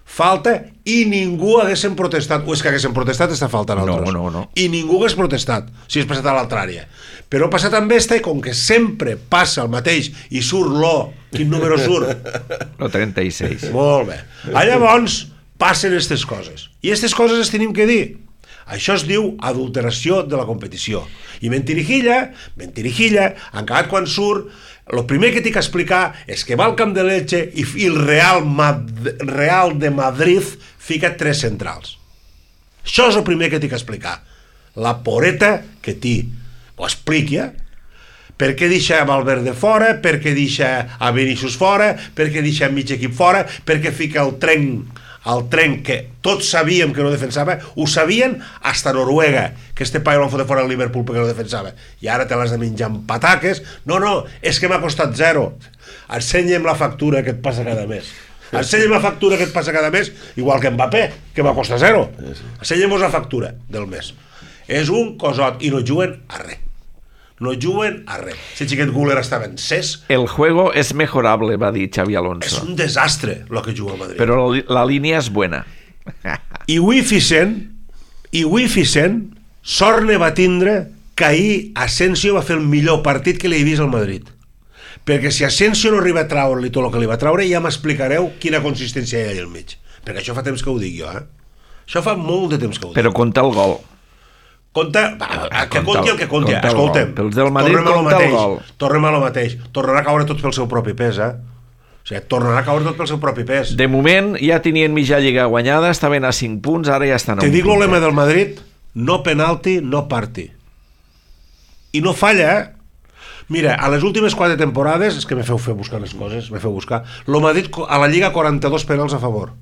falta i ningú haguessin protestat, o és que haguessin protestat està faltant altres, no, no, no. i ningú hagués protestat si és passat a l'altra àrea, però ha passat amb esta i com que sempre passa el mateix i surt l'O, quin número surt? Lo trenta-sis. Molt bé, a llavors passen aquestes coses i aquestes coses les tenim que dir. Això es diu adulteració de la competició. I mentirijilla, mentirijilla, en acabat quan surt, el primer que tinc que explicar és que va al camp de Elche i el Real, Mad Real de Madrid fica tres centrals. Això és el primer que tinc que explicar. La poreta que té. Ho expliqui, eh? Per què deixa Valverde fora, per què deixa a Vinícius fora, per què deixa mig equip fora, per què fica el tren... el tren que tots sabíem que no defensava, ho sabien hasta Noruega, que este paio l'han fotre fora al Liverpool perquè no defensava, i ara te l'has de menjar amb pataques. No, no, és que m'ha costat zero. Ensenya'm la factura que et passa cada mes. Ensenya'm la factura que et passa cada mes, igual que Mbappé, que va costar zero. Ensenya'm la factura del mes. És un cosot, i no juguen a res. No juguen a res. Si el xiquet Güler estava en ses... El juego es mejorable, va dir Xavi Alonso. És un desastre el que juga el Madrid. Però la línia és buena. I avui Ficent, i avui Ficent, sort ne va tindre que ahir Asensio va fer el millor partit que li he vist al Madrid. Perquè si Asensio no arriba a traure-li tot el que li va traure, ja m'explicareu quina consistència hi ha allà al mig. Perquè això fa temps que ho dic jo, eh? Això fa molt de temps que ho dic. Però compta el gol. Compta, va, que conti el que conti. Escolta'm, pels del Madrid compta el gol. Tornem a lo mateix. Tornarà a caure tot pel seu propi pes, eh? O sigui, tornarà a caure tot pel seu propi pes. De moment ja tenien mitja lliga guanyada, estaven a cinc punts, ara ja estan a un punt. Te dic el lema del Madrid, no penalti, no parti. I no falla, eh? Mira, a les últimes quatre temporades, és que me feu fer buscar les coses, me feu buscar, lo Madrid a la Lliga quaranta-dos penals a favor.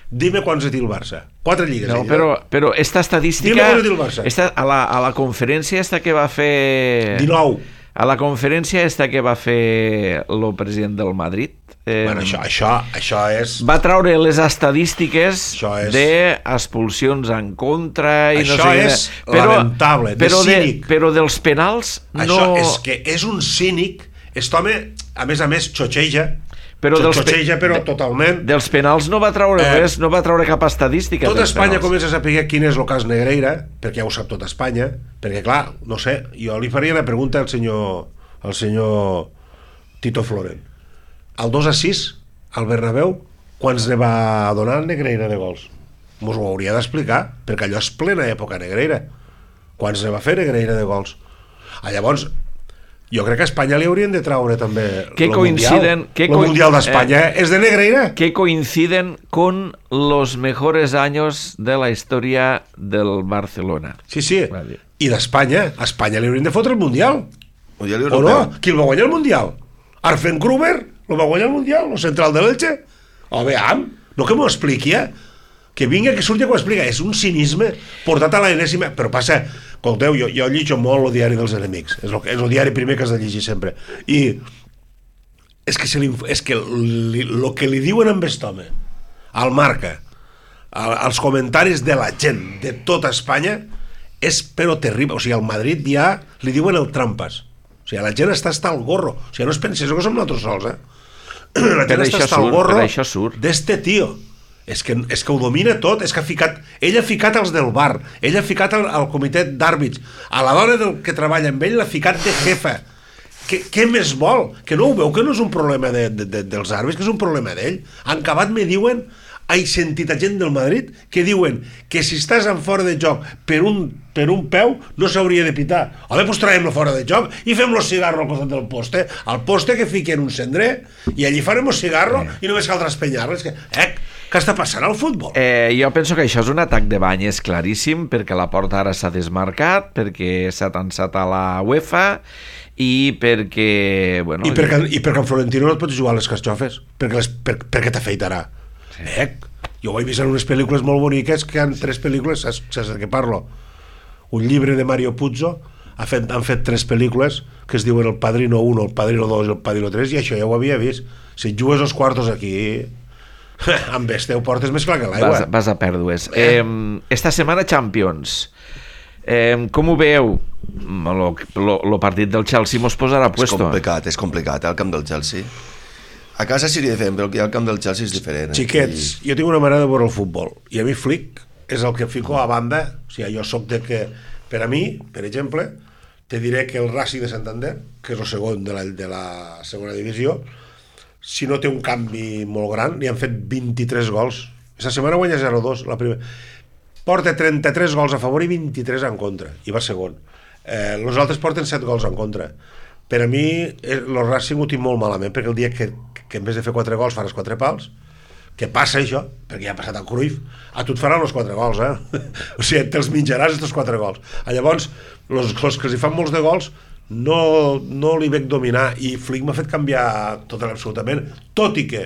Dime quants ha dit el Barça. Quatre lligues. No, però, però esta estadística... Dime quants ha dit el Barça. Esta, a, la, a la conferència esta que va fer... dinou. A la conferència esta que va fer el president del Madrid... Eh, bueno, això, això, això és... Va traure les estadístiques és... d'expulsions en contra... I això no sé, és però, lamentable, de però cínic. De, però dels penals no... Això és que és un cínic. Aquest home, a més a més, xotxeja... Però dels, xotxeja, però totalment. Dels penals no va traure eh, res, no va traure cap estadística. Tot Espanya comença a saber quin és el cas Negreira, perquè ja ho sap tot Espanya, perquè clar, no sé, jo li faria una pregunta al senyor, al senyor Tito Floren. Al dos a sis, al Bernabéu, quants ne va donar el Negreira de gols? Mos ho hauria d'explicar, perquè allò és plena època Negreira. Quants ne va fer Negreira de gols? Ah, llavors... jo crec que a Espanya li haurien de traure també el Mundial. El Mundial d'Espanya eh, és de Negreira. Que coinciden con los mejores años de la historia del Barcelona. Sí, sí. Vale. I d'Espanya. A Espanya li haurien de fotre el Mundial. Mundial o no? Qui el va guanyar el Mundial? Arfen Gruber? El va guanyar el Mundial? El central de l'Elche? O veam, no que m'ho expliqui, eh? Que vinga, que surti que ho explica. És un cinisme portat a l'enèsima. Però passa, escolteu, jo, jo llitjo molt el diari dels enemics. És el, és el diari primer que has de llegir sempre. I és que, se li, és que el que li diuen amb aquest home, al Marca, als comentaris de la gent de tota Espanya, és però terrible. O sigui, al Madrid ja li diuen el trampas. O sigui, la gent està hasta el gorro. O sigui, no es pensés que som nosaltres sols, eh? La gent està hasta el gorro d'este tio. És que, és que ho domina tot, és que ha ficat, ell ha ficat els del bar, ell ha ficat al, al comitè d'àrbits, a la dona del que treballa amb ell l'ha ficat de jefa. Què, què més vol? Que no ho veu, que no és un problema de, de, de, dels àrbits, que és un problema d'ell. En acabat me diuen, he sentit a gent del Madrid que diuen que si estàs en fora de joc per un, per un peu no s'hauria de pitar. Home, doncs traiem-lo fora de joc i fem-lo cigarro al costat del poste, al poste que fiquen un cendrer i allí farem un cigarro i només caldrà espenyar-lo. És que, eh, què està passant al futbol? Eh, jo penso que això és un atac de banyes claríssim, perquè la porta ara s'ha desmarcat, perquè s'ha tensat a la UEFA i perquè... Bueno, I perquè, i perquè en Florentino no et pots jugar a les carxofes, perquè, les, per, perquè t'afeitarà. Sí. Eh? Jo ho he vist en unes pel·lícules molt boniques, que han tres pel·lícules, saps, saps de què parlo? Un llibre de Mario Puzo, ha fet, han fet tres pel·lícules que es diuen El Padrino uno, El Padrino dos i El Padrino tres, i això ja ho havia vist. Si et jugues els quartos aquí... amb este ho portes més clar que l'aigua. Vas, vas a pèrdues. Eh. Eh, esta setmana Champions. Eh, com ho veieu? El partit del Chelsea mos posarà puesto. És complicat, és complicat, eh, el camp del Chelsea. A casa seria diferent, però aquí al camp del Chelsea és diferent. Xiquets, jo tinc una manera de veure el futbol, i a mi Flick és el que fico a banda, o sigui, jo soc de que, per a mi, per exemple, te diré que el Racing de Santander, que és el segon de la, de la segona divisió, si no té un canvi molt gran, li han fet vint-i-tres gols. Aquesta setmana guanya zero dos, la primera. Porta trenta-tres gols a favor i vint-i-tres en contra, i va segon. Eh, els altres porten set gols en contra. Per a mi, el Racing ho tinc molt malament, perquè el dia que, que en vez de fer quatre gols faràs quatre pals, que passa això, perquè ja ha passat el Cruyff, a tu et faran els quatre gols, eh? O sigui, te'ls menjaràs estos quatre gols. Llavors, els que els hi fan molts de gols, no, no li veig dominar, i Flick m'ha fet canviar tot absolutament, tot i que,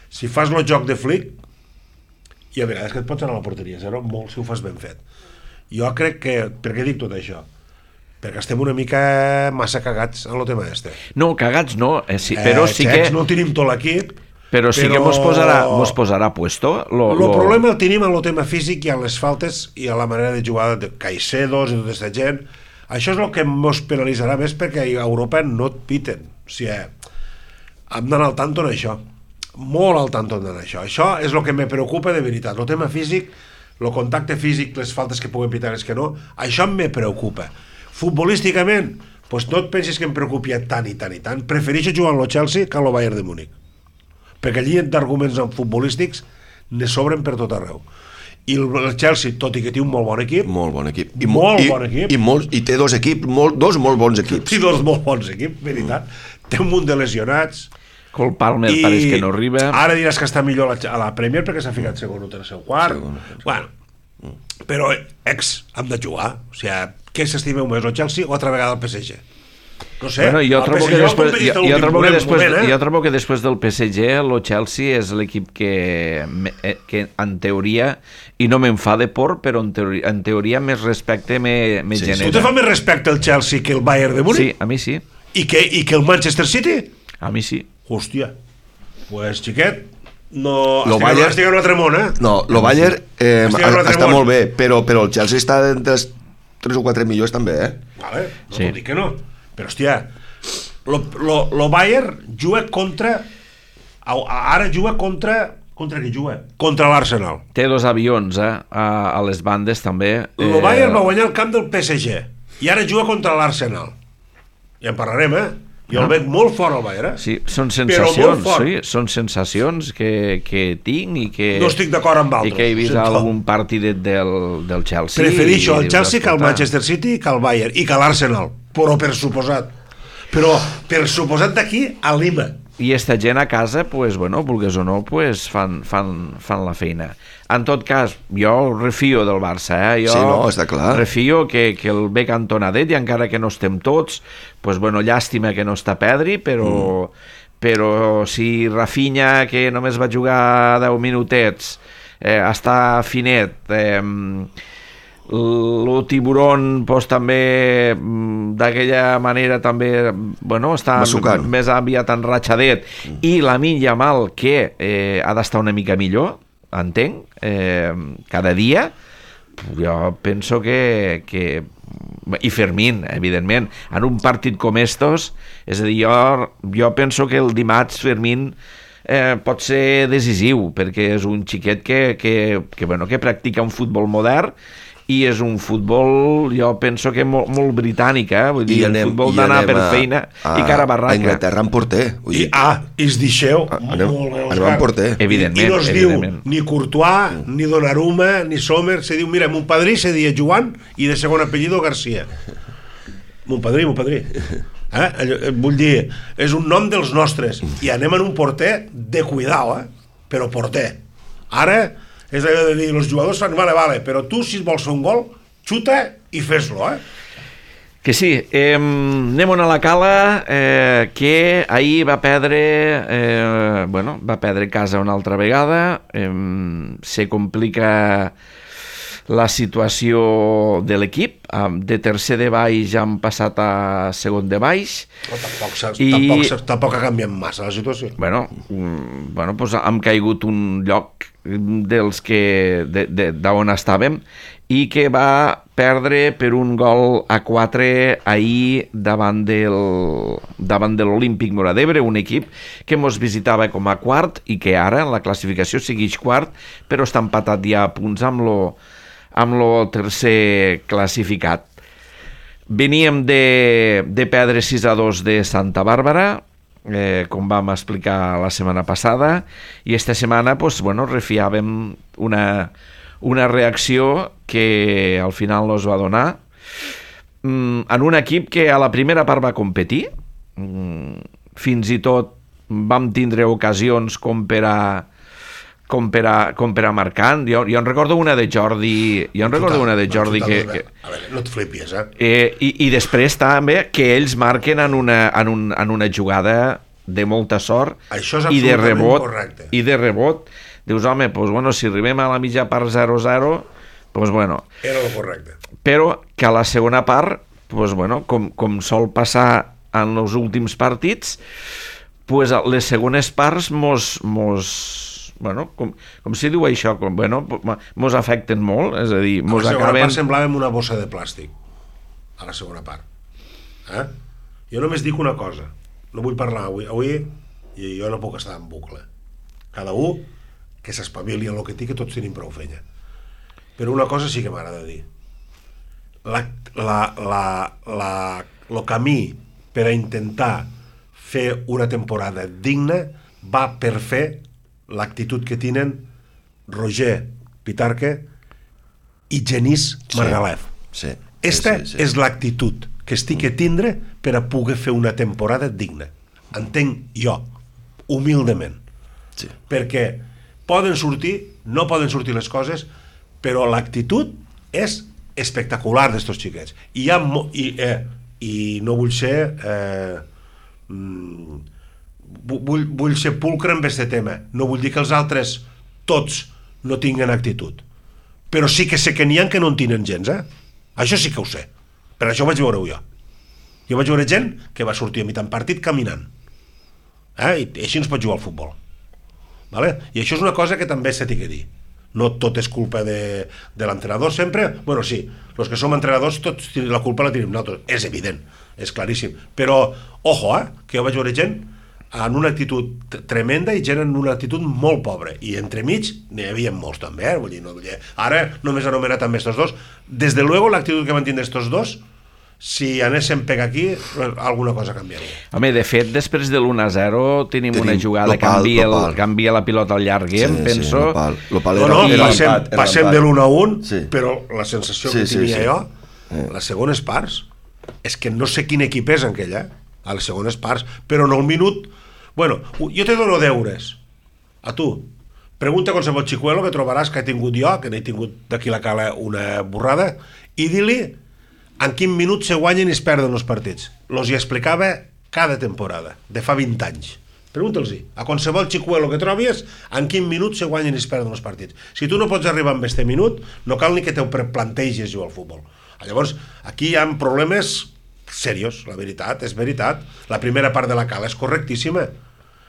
si fas el joc de Flick, i a vegades que et pots anar a la porteria zero, molt si ho fas ben fet. Jo crec que, per què dic tot això? Perquè estem una mica massa cagats en el tema este. No, cagats no, eh, sí, però eh, sí xecs, que... no tenim tot l'equip, però sí però... que mos posarà, mos posarà puesto. Lo, el lo... problema el tenim en el tema físic i en les faltes i a la manera de jugar de Caicedos i tota aquesta gent. Això és el que mos penalitzarà més, perquè a Europa no et piten. O sigui, hem d'anar al tanto en això. Molt al tanto en això. Això és el que me preocupa de veritat. El tema físic, el contacte físic, les faltes que puguen pitar, les que no, això me preocupa. Futbolísticament, doncs no et pensis que em preocupi tant i tant i tant. Prefereixo jugar al Chelsea que al Bayern de Múnich, perquè allí d'arguments futbolístics ne sobren per tot arreu. I el Chelsea, tot i que té un molt bon equip, molt bon equip, i molt i, bon equip, i, molt, i té dos equips, molt, dos molt bons equips, i dos molt bons equips, veritat. Mm. Té un munt de lesionats. Col Palmer i pareix que no arriba. Ara diràs que està millor a la, a la Premier perquè s'ha ficat segon o tercer o quart. Segon, segon. Bueno, mm. però ex, hem de jugar. O sigui, què s'estimeu més, el Chelsea o altra vegada el P S G? No sé, bueno, jo, trobo que després, jo, jo, trobo que després, moment, eh? jo trobo que després del P S G el Chelsea és l'equip que, que en teoria, i no m'enfade por, però en teoria, en teoria més respecte me, me sí, genera. Tu te fa més respecte el Chelsea que el Bayern de Múnich? Sí, a mi sí. I que, i que el Manchester City? A mi sí. Hòstia, pues xiquet, no, lo estic, Bayern, estic en un altre món, eh? No, el Bayern eh, està món. molt bé, però, però el Chelsea està entre els tres o quatre millors també, eh? Vale, no sí. T'ho dic que no. Però, hòstia, lo, lo, lo Bayern juga contra... Ara juga contra... Contra qui juga? Contra l'Arsenal. Té dos avions, eh? A, a les bandes, també. Lo Bayern va guanyar el camp del P S G i ara juga contra l'Arsenal. Ja en parlarem, eh? Jo el veig molt fort al Bayern, eh? Sí, són sensacions, sí, són sensacions que, que tinc i que... No estic d'acord amb altres. I que he vist algun partidet del, del Chelsea. Prefereixo el Chelsea que el Manchester City, que el Bayern i que l'Arsenal, però per suposat. Però per suposat d'aquí a Lima. I esta gent a casa, pues, bueno, vulgues o no, pues, fan, fan, fan la feina. En tot cas, jo refio del Barça, eh? Jo sí, no, està clar. refio que, que el ve cantonadet, i encara que no estem tots, pues, bueno, llàstima que no està Pedri, però, mm. però si Rafinha, que només va jugar deu minutets, eh, està finet, eh, el tiburon pues, també d'aquella manera també bueno, està Masucant. més aviat enratxadet mm. i la Lamine Yamal que eh, ha d'estar una mica millor, entenc, eh, cada dia jo penso que, que i Fermín, evidentment en un partit com estos, és a dir, jo, jo penso que el dimarts Fermín eh, pot ser decisiu perquè és un xiquet que, que, que, bueno, que practica un futbol modern i és un futbol, jo penso que molt, molt britànic, eh? Vull dir, anem, el futbol d'anar per a, feina a, i cara a barraca. A Inglaterra en porter. Vull dir, I, ah, i es deixeu anem, anem en porter. Evidentment, I no es evidentment. diu ni Courtois, mm. ni Donnarumma, ni Sommer, se diu, mira, mon padrí se dia Joan i de segon apellido Garcia. Mon padrí, mon padrí. Eh? Vull dir, és un nom dels nostres. I anem en un porter de cuidao, eh? Però porter. Ara... és allò de dir, els jugadors fan, vale, vale, però tu si vols fer un gol, xuta i fes-lo, eh? Que sí, eh, anem a la Cala, eh, que ahir va perdre, eh, bueno, va perdre casa una altra vegada, eh, se complica la situació de l'equip, de tercer de baix ja han passat a segon de baix. No, tampoc, i... tampoc, tampoc ha canviat massa la situació. Bueno, bueno pues hem caigut un lloc dels que d'on estàvem i que va perdre per un gol a quatre ahir davant del davant de l'Olímpic Móra d'Ebre, un equip que mos visitava com a quart i que ara en la classificació segueix quart, però està empatat ja a punts amb lo, amb lo tercer classificat. Veníem de, de perdre sis a dos de Santa Bàrbara, eh, com vam explicar la setmana passada, i esta setmana pues, bueno, refiàvem una, una reacció que al final no es va donar mm, en un equip que a la primera part va competir, mm, fins i tot vam tindre ocasions com per a com per a, com per a marcant. Jo, jo en recordo una de Jordi jo en recordo una de Jordi que, que... A veure, no et flipis, eh? eh i, i després també que ells marquen en una, en, un, en una jugada de molta sort i de rebot correcte. i de rebot dius, home, pues, bueno, si arribem a la mitja part zero zero, pues, bueno, era el correcte, però que a la segona part pues, bueno, com, com sol passar en els últims partits, pues, les segones parts mos, mos bueno, com, com si diu això, com, bueno, mos afecten molt, és a dir, mos a la segona acaben... part semblàvem una bossa de plàstic a la segona part, eh? Jo només dic una cosa, no vull parlar avui, avui i jo no puc estar en bucle, cada un que s'espavili en el que té, que tots tenim prou feina, però una cosa sí que m'agrada dir, la, la, la, la, el camí per a intentar fer una temporada digna va per fer l'actitud que tenen Roger Pitarque i Genís Margalef. Sí, sí, Esta sí, sí. és l'actitud que estic a tindre per a poder fer una temporada digna. Entenc jo, humildament. Sí. Perquè poden sortir, no poden sortir les coses, però l'actitud és espectacular d'estos xiquets. I, hi ha mo i, eh, i no vull ser... Eh, mm, Vull, vull ser pulcre amb aquest tema. No vull dir que els altres tots no tinguen actitud, però sí que sé que n'hi ha que no en tenen gens, eh? Això sí que ho sé, per això ho vaig veure jo. Jo vaig veure gent que va sortir a mitjà partit caminant, eh? I així no es pot jugar al futbol, vale? I això és una cosa que també s'ha de dir. No tot és culpa de, de l'entrenador sempre. Bueno, sí, els que som entrenadors tots la culpa la tenim nosaltres, és evident, és claríssim, però ojo, eh? Que jo vaig veure gent en una actitud tremenda i gent en una actitud molt pobra, i entremig n'hi havia molts també, eh? Vull dir, no, ara només anomenat també estos dos. Des de luego l'actitud que van tindre estos dos, si anéssim per aquí alguna cosa canviaria. Home, de fet, després de l'u a zero tenim, tenim una jugada que canvia, canvia la pilota al llarguer, sí, penso. Sí, l'opal. L'opal no, no, era passem, l'empat, era passem de l'u a un, sí. Però la sensació sí, que tenia sí, sí. jo, eh. les segones parts, és que no sé quin equip és aquella, a les segones parts, però en el minut... Bueno, jo te dono deures a tu. Pregunta a qualsevol xicuelo que trobaràs que he tingut jo, que n'he tingut d'aquí la cala una borrada, i di-li en quin minut se guanyen i es perden els partits. Los hi explicava cada temporada, de fa vint anys. Pregunta'ls-hi a qualsevol xicuelo que trobis en quin minut se guanyen i es perden els partits. Si tu no pots arribar amb este minut, no cal ni que te plantegis jugar al futbol. Llavors, aquí hi ha problemes serios, la veritat, és veritat. La primera part de la cala és correctíssima.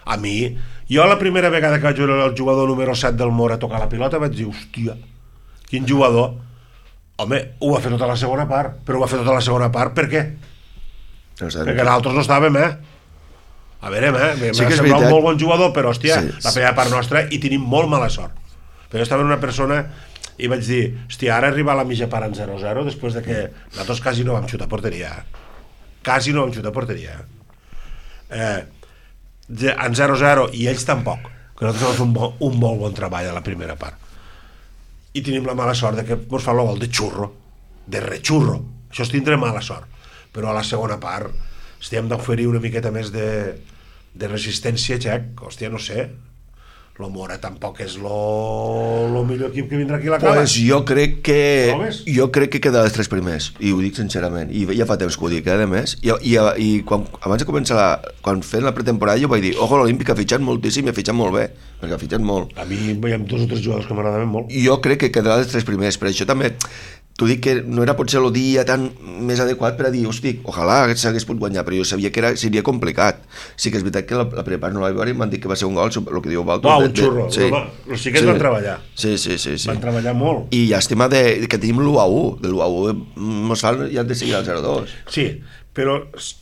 A mi, jo la primera vegada que vaig veure el jugador número set del Mora tocar la pilota vaig dir, hòstia, quin jugador. Home, ho va fer tota la segona part, però ho va fer tota la segona part per què? No sé, perquè nosaltres no estàvem, eh? A veure, eh? M'ha sí semblat un molt bon jugador, però, hòstia, sí, la primera part nostra i tenim molt mala sort. Però jo estava en una persona i vaig dir, hòstia, ara arriba a la mitja part en zero zero després de que nosaltres quasi no vam xutar a porteria. Quasi no vam xutar a porteria. Eh... en zero zero i ells tampoc, que nosaltres vam fer un, bo, un molt bon treball a la primera part, i tenim la mala sort de que ens fa el gol de xurro, de rechurro, això és tindre mala sort, però a la segona part hem d'oferir una miqueta més de, de resistència, Xec. Hòstia, no sé, lo Mora tampoc és lo, lo millor equip que vindrà aquí a la cala. Pues jo crec que Proves? jo crec que queda dels tres primers, i ho dic sincerament, i ja fa temps que ho dic, eh, a més, i, i, i quan, abans de començar la, quan fent la pretemporada jo vaig dir, ojo, l'Olímpic ha fitxat moltíssim i ha fitxat molt bé, perquè ha fitxat molt. A mi hi ha dos o tres jugadors que m'agradaven molt. I jo crec que quedarà dels tres primers, per això també t'ho dic que no era potser el dia tan més adequat per a dir, hosti, ojalà s'hagués pogut guanyar, però jo sabia que era, seria complicat. Sí que és veritat que la, la primera part no la vaig veure i m'han dit que va ser un gol, el que diu Baltos. Uau, un xurro. Sí. Els xiquets sí. van treballar. Sí, sí, sí, sí. Van treballar molt. I llàstima de, que tenim l'u a u. De l'u a u mos fan ja de seguir al zero a dos. Sí, però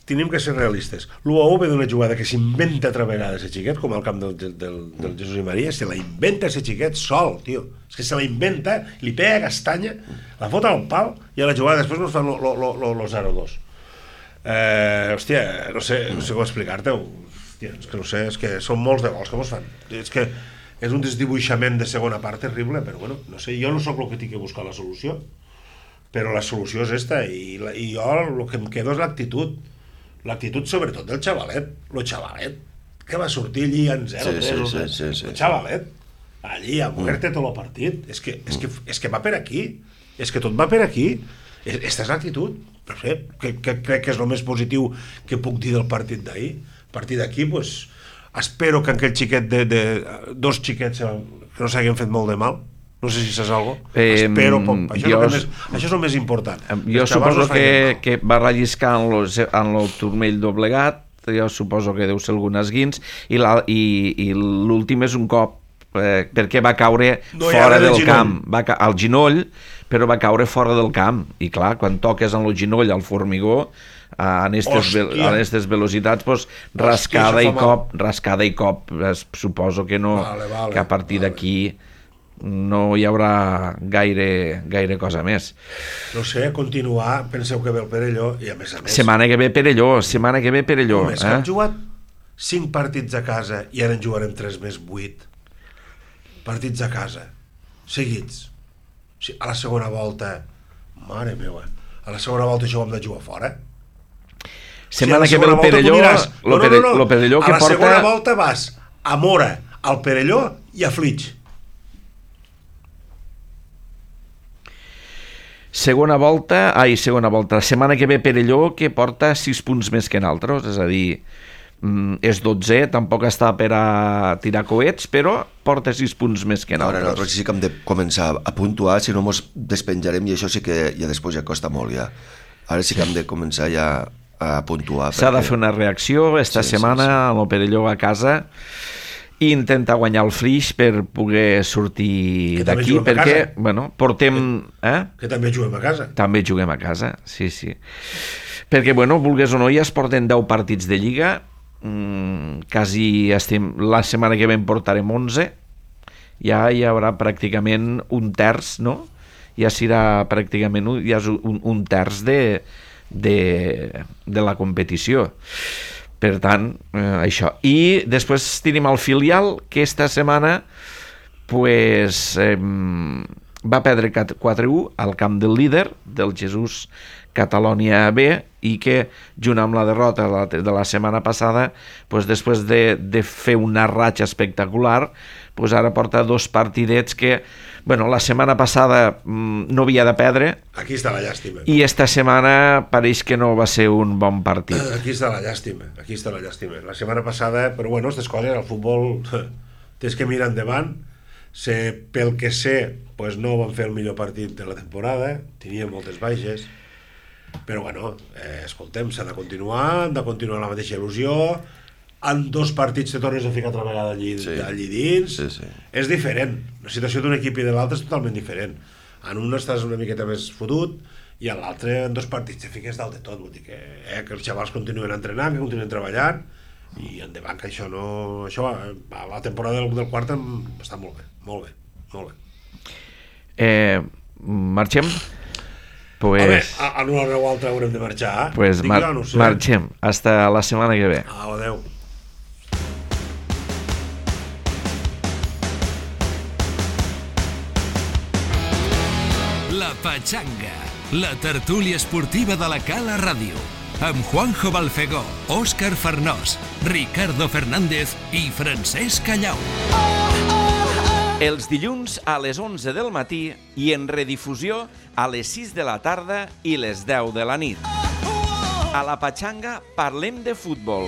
tenim que ser realistes. L'u a u ve d'una jugada que s'inventa altra vegada ser xiquet, com al camp del, del, del Jesús i Maria, se la inventa ser xiquet sol, tio. És que se la inventa, li pega castanya, la fot al pal i a la jugada després nos fan lo zero a dos. Eh, hòstia, no sé, no sé com explicar-te-ho. Hòstia, és que no sé, és que són molts de gols que mos fan. És que és un desdibuixament de segona part terrible, però bueno, no sé, jo no sóc el que tinc que buscar la solució, però la solució és esta, i, la, i jo el que em quedo és l'actitud, l'actitud sobretot del xavalet, el xavalet que va sortir allí en zero tres, sí, sí, sí, sí, el xavalet, allí a mover-te tot el partit, és que, és, que, és que va per aquí, és que tot va per aquí, aquesta és l'actitud, no sé, que, que crec que és el més positiu que puc dir del partit d'ahir. A partir d'aquí, pues, espero que aquell xiquet de, de dos xiquets que no s'hagin fet molt de mal, no sé si saps alguna cosa, eh, espero poc. Això, jo, és més, això és el més important. Jo suposo no que, que va relliscar en, lo, en el turmell doblegat, jo suposo que deu ser algun esguins, i l'últim és un cop, eh, perquè va caure no fora del camp, va ca al ginoll, però va caure fora del camp, i clar, quan toques en el ginoll al formigó, en aquestes velocitats, pues, rascada, Hòstia, i cop, rascada i cop, es, suposo que no, vale, vale, que a partir vale. d'aquí no hi haurà gaire, gaire cosa més. No sé, continuar, penseu que ve el Perelló, i a més a més... Setmana que ve Perelló, setmana que ve Perelló. Només eh? que han jugat cinc partits a casa i ara en jugarem tres més vuit. Partits a casa, seguits. Sí, a la segona volta, mare meva, a la segona volta això ho hem de jugar fora. Setmana sí, que ve el Perelló, miràs, no, no, no, no. Lo Perelló que a la porta... segona volta vas a Mora, al Perelló i a Flix. Segona volta, ai, segona volta, la setmana que ve Perelló, que porta sis punts més que nosaltres, és a dir, és dotze, tampoc està per a tirar coets, però porta sis punts més que nosaltres. Ara nosaltres sí que hem de començar a puntuar, si no mos despenjarem, i això sí que ja després ja costa molt, ja. Ara sí que hem de començar ja a puntuar. S'ha perquè... de fer una reacció esta sí, setmana sí, sí. amb el Perelló a casa, i intentar guanyar el Flix per poder sortir d'aquí, perquè, bueno, portem... Eh? Que també juguem a casa. També juguem a casa, sí, sí. Perquè, bueno, vulgues o no, ja es porten deu partits de Lliga, mm, quasi estem... La setmana que ve en portarem onze, ja hi haurà pràcticament un terç, no? Ja serà pràcticament un, ja és un, un terç de, de, de la competició. Per tant, eh, això. I després tenim el filial, que esta setmana pues, eh, va perdre quatre a u al camp del líder, del Jesús Catalonia B, i que, junt amb la derrota de la, de la setmana passada, pues, després de, de fer una ratxa espectacular, pues, ara porta dos partidets que, bueno, la setmana passada mmm, no havia de perdre. Aquí està la llàstima. I esta setmana pareix que no va ser un bon partit. Aquí està la llàstima, aquí està la llàstima. La setmana passada, però bueno, aquestes coses, el futbol tens que mirar endavant. Sé, pel que sé, pues no van fer el millor partit de la temporada, tenia moltes baixes, però bueno, eh, escoltem, s'ha de continuar, han de continuar la mateixa il·lusió. En dos partits te tornes a ficar altra vegada allí, sí. allí dins, sí, sí. És diferent, la situació d'un equip i de l'altre és totalment diferent. En un estàs una miqueta més fotut i en l'altre en dos partits te fiques dalt de tot, vull dir que, eh, que els xavals continuen entrenant, que continuen treballant i endavant, que això no... Això a la temporada del, del quart està molt bé, molt bé, molt bé. Eh, marxem? Pues... A veure, a una hora o altra haurem de marxar, eh? Pues mar jo, no sé. Marxem, hasta la setmana que ve. Au, adeu. La Pachanga, la tertúlia esportiva de la Cala Ràdio, amb Juanjo Balfegó, Òscar Farnós, Ricardo Fernández i Francesc Callau. Els dilluns a les onze del matí i en redifusió a les sis de la tarda i les deu de la nit. A la Pachanga parlem de futbol.